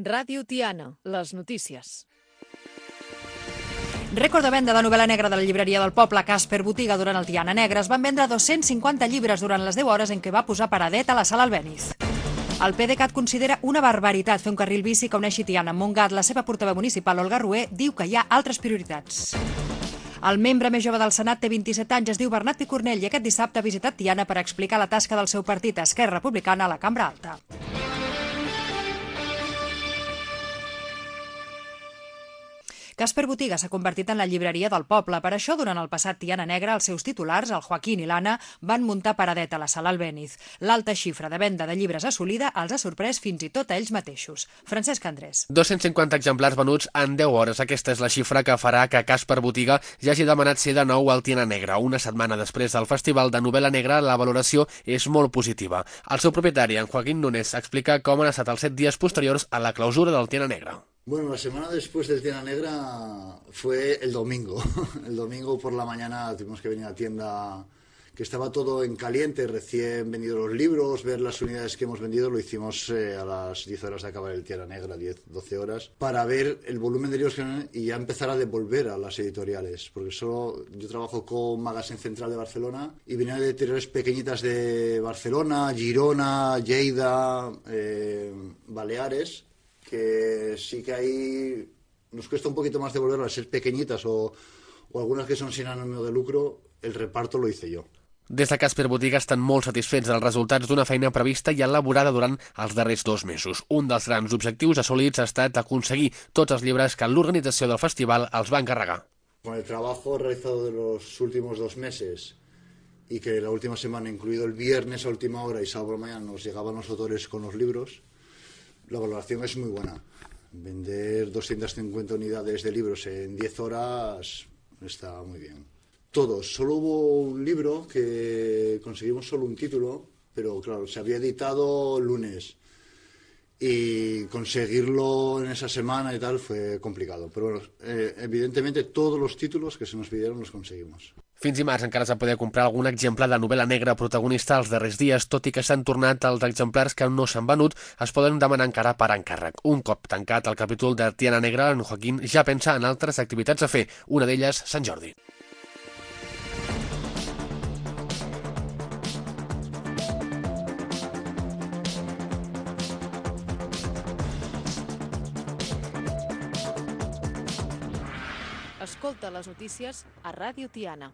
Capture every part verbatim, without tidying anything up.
Ràdio Tiana, les notícies. Rècord de venda de novel·la negra de la llibreria del poble Casper Botiga durant el Tiana Negra. Es van vendre dos-cents cinquanta llibres durant les deu hores en què va posar paradet a la sala Albéniz. El PDeCAT considera una barbaritat fer un carril bici que uneixi Tiana amb Montgat. La seva portaveu municipal, Olga Rué, diu que hi ha altres prioritats. El membre més jove del Senat té vint-i-set anys, es diu Bernat Picornell i aquest dissabte ha visitat Tiana per explicar la tasca del seu partit, Esquerra Republicana, a la Cambra Alta. Casper Botiga s'ha convertit en la llibreria del poble. Per això, durant el passat Tiana Negra, els seus titulars, el Joaquín i l'Anna, van muntar paradet a la sala Albéniz. L'alta xifra de venda de llibres assolida els ha sorprès fins i tot a ells mateixos. Francesc Andrés. dos-cents cinquanta exemplars venuts en deu hores. Aquesta és la xifra que farà que Casper Botiga ja hagi demanat ser de nou al Tiana Negra. Una setmana després del Festival de Novel·la Negra, la valoració és molt positiva. El seu propietari, en Joaquín Núñez, explica com han estat els set dies posteriors a la clausura del Tiana Negra. Bueno, la semana después del Tiana Negra fue el domingo. El domingo por la mañana tuvimos que venir a la tienda, que estaba todo en caliente, recién vendidos los libros, ver las unidades que hemos vendido. Lo hicimos eh, a las diez horas de acabar el Tiana Negra, diez, doce horas, para ver el volumen de libros que hay y ya empezar a devolver a las editoriales. Porque solo yo trabajo con Magazine Central de Barcelona y vienen de editoriales pequeñitas de Barcelona, Girona, Lleida, eh, Baleares, que sí que ahí nos cuesta un poquito más devolverlas, al ser pequeñitas o, o algunas que son sin ánimo de lucro, el reparto lo hice yo. Des de Casper Botiga estan molt satisfets dels resultats d'una feina prevista i elaborada durant els darrers dos mesos. Un dels grans objectius assolits ha estat aconseguir tots els llibres que l'organització del festival els va encarregar. Con el trabajo realizado de los últimos dos meses y que la última semana, incluido el viernes a última hora y sábado por la mañana, nos llegaban los autores con los libros, la valoración es muy buena. Vender doscientas cincuenta unidades de libros en diez horas está muy bien. Todos. Solo hubo un libro que conseguimos solo un título, pero claro, se había editado lunes. Y conseguirlo en esa semana y tal fue complicado. Pero bueno, eh, evidentemente todos los títulos que se nos pidieron los conseguimos. Fins dimarts encara s'ha poder comprar algun exemplar de novel·la negra protagonista els darrers dies, tot i que s'han tornat els exemplars que no s'han venut, es poden demanar encara per encàrrec. Un cop tancat el capítol de Tiana Negra, en Joaquín ja pensa en altres activitats a fer, una d'elles Sant Jordi. Escolta les notícies a Ràdio Tiana.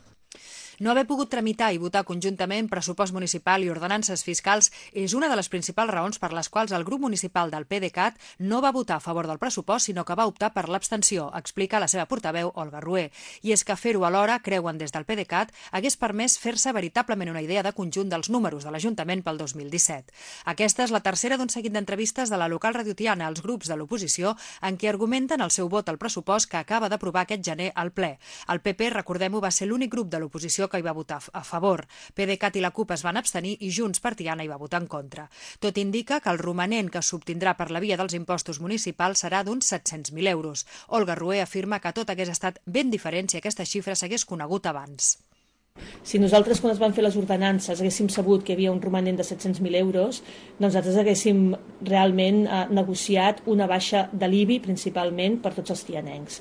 No haver pogut tramitar i votar conjuntament pressupost municipal i ordenances fiscals és una de les principals raons per les quals el grup municipal del PDeCAT no va votar a favor del pressupost, sinó que va optar per l'abstenció, explica la seva portaveu, Olga Rué. I és que fer-ho alhora, creuen des del PDeCAT, hagués permès fer-se veritablement una idea de conjunt dels números de l'Ajuntament pel dos mil disset. Aquesta és la tercera d'un seguit d'entrevistes de la local Radio Tiana als grups de l'oposició en què argumenten el seu vot al pressupost que acaba d'aprovar aquest gener al ple. El P P, recordem-ho, va ser l'únic grup de l'oposició que hi va votar a favor. PDeCAT i la CUP es van abstenir i Junts per Tiana hi va votar en contra. Tot indica que el romanent que s'obtindrà per la via dels impostos municipals serà d'uns set-cents mil euros. Olga Rué afirma que tot hagués estat ben diferent si aquesta xifra s'hagués conegut abans. Si nosaltres, quan es van fer les ordenances, haguéssim sabut que hi havia un romanent de set-cents mil euros, doncs nosaltres haguéssim realment eh, negociat una baixa de l'I B I, principalment per tots els tianencs.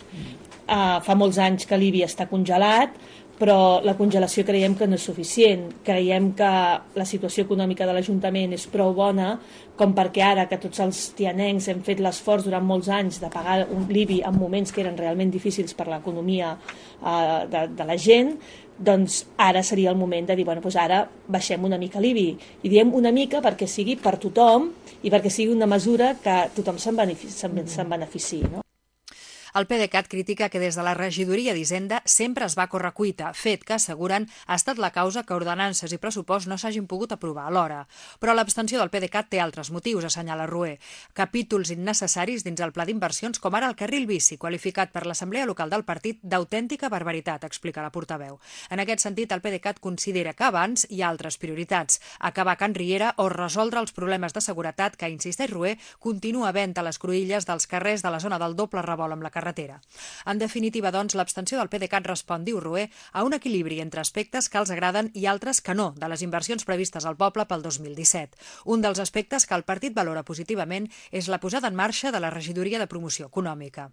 Uh, fa molts anys que l'I B I està congelat, però la congelació creiem que no és suficient. Creiem que la situació econòmica de l'Ajuntament és prou bona com perquè ara que tots els tianencs hem fet l'esforç durant molts anys de pagar un l'I B I en moments que eren realment difícils per l'economia eh, de, de la gent, doncs ara seria el moment de dir, bueno, doncs ara baixem una mica l'I B I. I diem una mica perquè sigui per tothom i perquè sigui una mesura que tothom se'n benefici, se'n benefici, no? El PDeCAT critica que des de la regidoria d'Hisenda sempre es va córrer cuita, fet que, asseguren, ha estat la causa que ordenances i pressupost no s'hagin pogut aprovar alhora. Però l'abstenció del PDeCAT té altres motius, assenyala Rué. Capítols innecessaris dins el pla d'inversions, com ara el carril bici, qualificat per l'Assemblea Local del Partit d'autèntica barbaritat, explica la portaveu. En aquest sentit, el PDeCAT considera que abans hi ha altres prioritats, acabar Can Riera o resoldre els problemes de seguretat que, insisteix Rué, continua havent a les cruïlles dels carrers de la zona del doble revolt amb la carretera carretera. En definitiva, doncs, l'abstenció del PDeCAT respon, diu Rué, a un equilibri entre aspectes que els agraden i altres que no, de les inversions previstes al poble pel dos mil disset. Un dels aspectes que el partit valora positivament és la posada en marxa de la regidoria de promoció econòmica.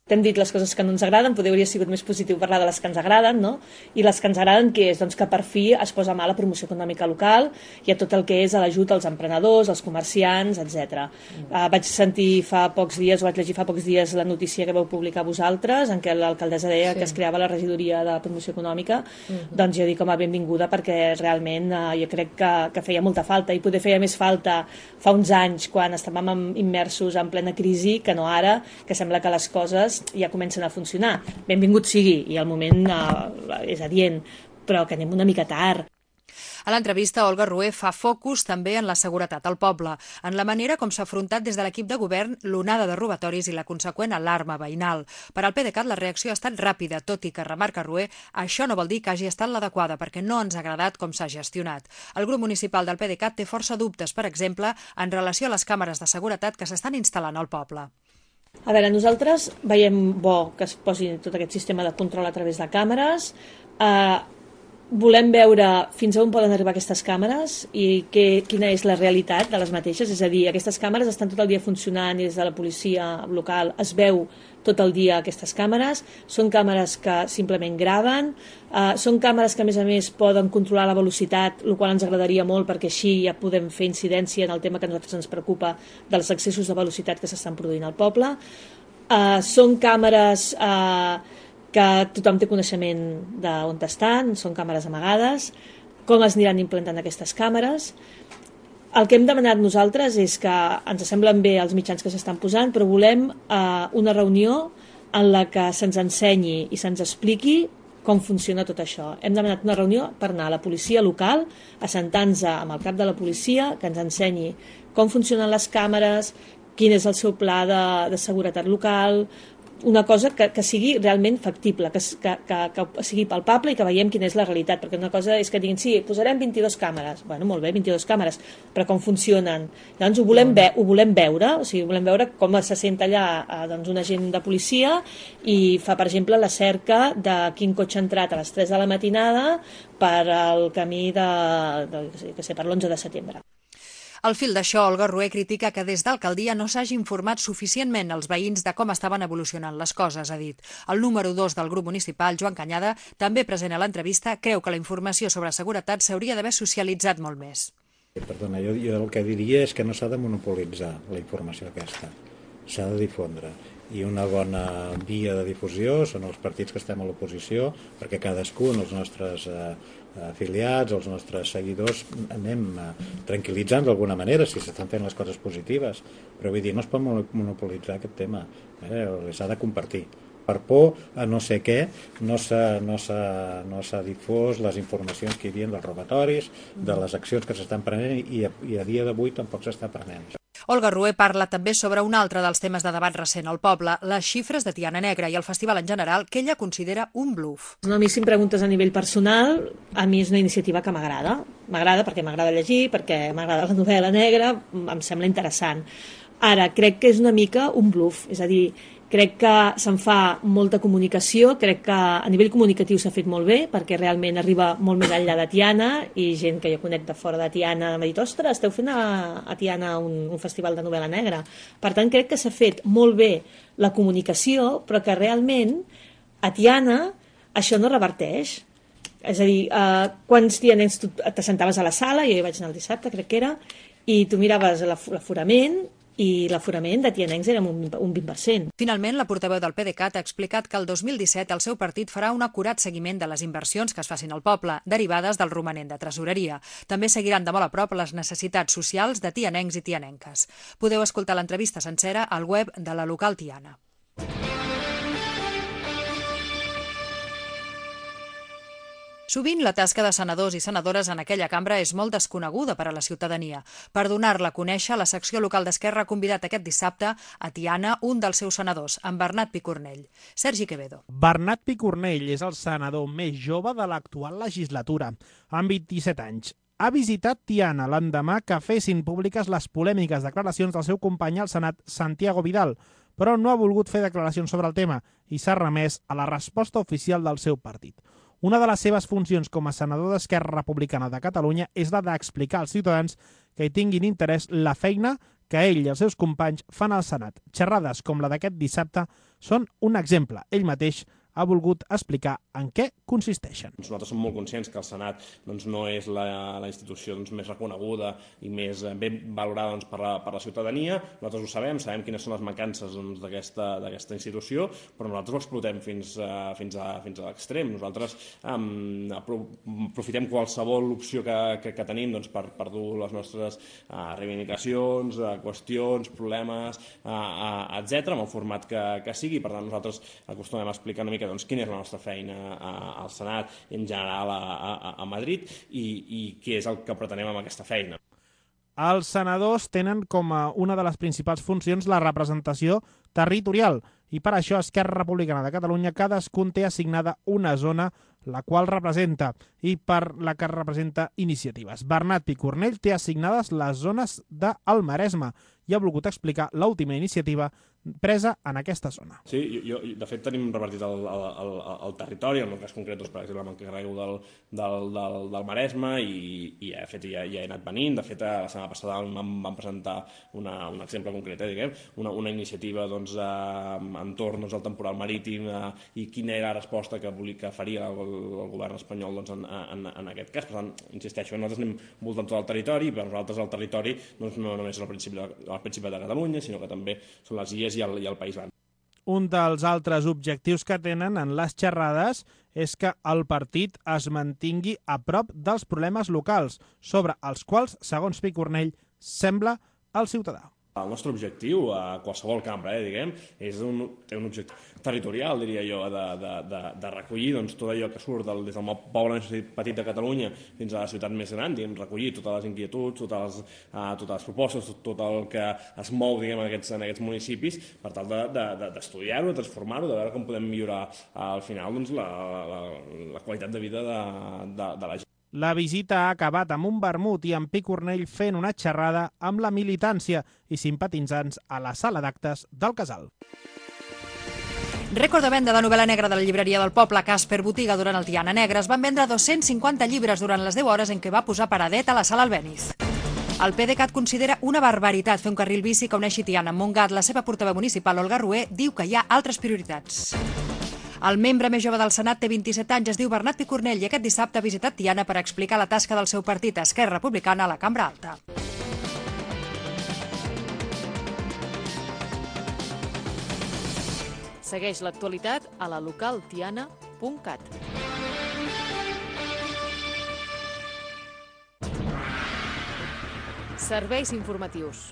T'hem dit les coses que no ens agraden, potser hauria sigut més positiu parlar de les que ens agraden, no? I les que ens agraden, què és? Doncs que per fi es posa mà a la promoció econòmica local i a tot el que és a l'ajut als emprenedors, als comerciants, etcètera. Mm. Uh, vaig sentir fa pocs dies, o vaig llegir fa pocs dies la notícia que vau publicar vosaltres, en què l'alcaldessa deia sí. que es creava la regidoria de promoció econòmica. Mm-hmm. Doncs jo dic com a benvinguda perquè realment uh, jo crec que, que feia molta falta i poder feia més falta fa uns anys quan estàvem immersos en plena crisi que no ara, que sembla que les coses ja comencen a funcionar. Benvingut sigui, i al moment uh, és adient, però que anem una mica tard. A l'entrevista, Olga Rué fa focus també en la seguretat al poble, en la manera com s'ha afrontat des de l'equip de govern l'onada de robatoris i la conseqüent alarma veïnal. Per al PDeCAT la reacció ha estat ràpida, tot i que, remarca Rué, això no vol dir que hagi estat l'adequada, perquè no ens ha agradat com s'ha gestionat. El grup municipal del PDeCAT té força dubtes, per exemple, en relació a les càmeres de seguretat que s'estan instal·lant al poble. A veure, nosaltres veiem bo que es posi tot aquest sistema de control a través de càmeres. Eh, volem veure fins a on poden arribar aquestes càmeres i que, quina és la realitat de les mateixes. És a dir, aquestes càmeres estan tot el dia funcionant i des de la policia local es veu tot el dia aquestes càmeres. Són càmeres que simplement graven. Uh, són càmeres que, a més a més, poden controlar la velocitat, el qual ens agradaria molt perquè així ja podem fer incidència en el tema que a nosaltres ens preocupa dels excessos de velocitat que s'estan produint al poble. Uh, són càmeres uh, que tothom té coneixement d'on estan, són càmeres amagades. Com es aniran implantant aquestes càmeres? El que hem demanat nosaltres és que ens semblen bé els mitjans que s'estan posant, però volem uh, una reunió en la que se'ns ensenyi i se'ns expliqui com funciona tot això. Hem demanat una reunió per anar a la policia local, assentar-nos amb el cap de la policia, que ens ensenyi com funcionen les càmeres, quin és el seu pla de, de seguretat local, una cosa que, que sigui realment factible, que, que, que, que sigui palpable i que veiem quina és la realitat, perquè una cosa és que diguin, sí, posarem vint-i-dues càmeres, bueno, molt bé, vint-i-dues càmeres, però com funcionen? Llavors ho volem, ve ho volem veure, o sigui, volem veure com se sent allà eh, doncs, un agent de policia i fa, per exemple, la cerca de quin cotxe ha entrat a les tres de la matinada per al camí de, de, de, de, per l'onze de setembre. Al fil d'això, Olga Rué critica que des d'alcaldia no s'hagi informat suficientment els veïns de com estaven evolucionant les coses, ha dit. El número dos del grup municipal, Joan Canyada, també present a l'entrevista, creu que la informació sobre seguretat s'hauria d'haver socialitzat molt més. Perdona, jo, jo el que diria és que no s'ha de monopolitzar la informació aquesta, s'ha de difondre. I una bona via de difusió són els partits que estem a l'oposició, perquè cadascun, els nostres eh, afiliats, els nostres seguidors, anem eh, tranquil·litzant d'alguna manera si s'estan fent les coses positives. Però vull dir, no es pot monopolitzar aquest tema, eh? s'ha de compartir. Per por a no sé què, no s'ha no no difós les informacions que hi havia dels robatoris, de les accions que s'estan prenent i a, i a dia d'avui tampoc s'està prenent. Olga Rué parla també sobre un altre dels temes de debat recent al poble, les xifres de Tiana Negra i el festival en general, que ella considera un bluff. No, a mi, si em preguntes a nivell personal, a mi és una iniciativa que m'agrada. M'agrada perquè m'agrada llegir, perquè m'agrada la novel·la negra, em sembla interessant. Ara, crec que és una mica un bluff, és a dir, crec que se'n fa molta comunicació, crec que a nivell comunicatiu s'ha fet molt bé, perquè realment arriba molt més enllà de Tiana, i gent que jo conec de fora de Tiana m'ha dit, ostres, esteu fent a, a Tiana un, un festival de novel·la negra. Per tant, crec que s'ha fet molt bé la comunicació, però que realment a Tiana això no reverteix. És a dir, eh, quants tianencs tu t'assentaves a la sala, jo hi vaig anar el dissabte, crec que era, i tu miraves l'aforament, i l'aforament de tianencs era un vint per cent. Finalment, la portaveu del PDeCAT ha explicat que el dos mil disset el seu partit farà un acurat seguiment de les inversions que es facin al poble, derivades del romanent de tresoreria. També seguiran de molt a prop les necessitats socials de tianencs i tianenques. Podeu escoltar l'entrevista sencera al web de la local Tiana. Sovint la tasca de senadors i senadores en aquella cambra és molt desconeguda per a la ciutadania. Per donar-la a conèixer, la secció local d'Esquerra ha convidat aquest dissabte a Tiana un dels seus senadors, en Bernat Picornell. Sergi Quevedo. Bernat Picornell és el senador més jove de l'actual legislatura, amb vint-i-set anys. Ha visitat Tiana l'endemà que fessin públiques les polèmiques declaracions del seu company al Senat, Santiago Vidal, però no ha volgut fer declaracions sobre el tema i s'ha remès a la resposta oficial del seu partit. Una de les seves funcions com a senador d'Esquerra Republicana de Catalunya és la d'explicar als ciutadans que hi tinguin interès la feina que ell i els seus companys fan al Senat. Xerrades com la d'aquest dissabte són un exemple. Ell mateix ha volgut explicar en què consisteixen. Nosaltres som molt conscients que el Senat doncs, no és la, la institució doncs, més reconeguda i més ben valorada doncs, per, la, per la ciutadania. Nosaltres ho sabem, sabem quines són les mancances doncs, d'aquesta institució, però nosaltres ho explotem fins, uh, fins a, fins a l'extrem. Nosaltres um, aprofitem qualsevol opció que, que, que tenim doncs, per, per dur les nostres uh, reivindicacions, uh, qüestions, problemes, uh, uh, etcètera, en el format que, que sigui. Per tant, nosaltres acostumem a explicar una mica doncs, quina és la nostra feina a, al Senat i en general a, a, a Madrid i, i què és el que pretenem amb aquesta feina. Els senadors tenen com a una de les principals funcions la representació territorial i per això Esquerra Republicana de Catalunya cadascun té assignada una zona la qual representa i per la que representa iniciatives. Bernat Picornell té assignades les zones del Maresme i ha volgut explicar l'última iniciativa presa en aquesta zona. Sí, jo, de fet tenim repartit el, el, el, el territori, en el cas concret, doncs, per exemple, m'encarrego del, del, del, del Maresme i, i de fet ja, ja he anat venint. De fet, la setmana passada vam, vam presentar una, un exemple concret, eh, diguem, una, una iniciativa doncs, eh, entorn doncs, al temporal marítim eh, i quina era la resposta que, volia, que faria el, el govern espanyol doncs, en, en, en aquest cas. Per tant, insisteixo, nosaltres anem voltant tot el territori i per nosaltres el territori doncs, no només és el principi de, el principi de Catalunya, sinó que també són les illes i el, i el País Basc. Un dels altres objectius que tenen en les xerrades és que el partit es mantingui a prop dels problemes locals, sobre els quals, segons Picornell, sembla el ciutadà. El nostre objectiu, a qualsevol cambra, eh, diguem, és un, té un objectiu territorial, diria jo, de, de, de, de recollir doncs, tot allò que surt del, des del poble més petit de Catalunya fins a la ciutat més gran, diguem, recollir totes les inquietuds, totes les, uh, totes les propostes, tot, tot el que es mou diguem, en, aquests, en aquests municipis, per tal d'estudiar-ho, de, de, de transformar-ho, de veure com podem millorar uh, al final doncs, la, la, la qualitat de vida de, de, de la gent. La visita ha acabat amb un vermut i amb Picornell fent una xerrada amb la militància i simpatitzants a la sala d'actes del Casal. Rècord de venda de novel·la negra de la llibreria del poble Casper Botiga durant el Tiana Negra. Es van vendre dos-cents cinquanta llibres durant les deu hores en què va posar paradet a la sala Albéniz. El PDeCAT considera una barbaritat fer un carril bici que uneixi Tiana amb Montgat. La seva portaveu municipal, Olga Rué, diu que hi ha altres prioritats. El membre més jove del Senat té vint-i-set anys, es diu Bernat Picornell i aquest dissabte ha visitat Tiana per explicar la tasca del seu partit, Esquerra Republicana, a la Cambra Alta. Segueix l'actualitat a la local tiana punt cat. Serveis informatius.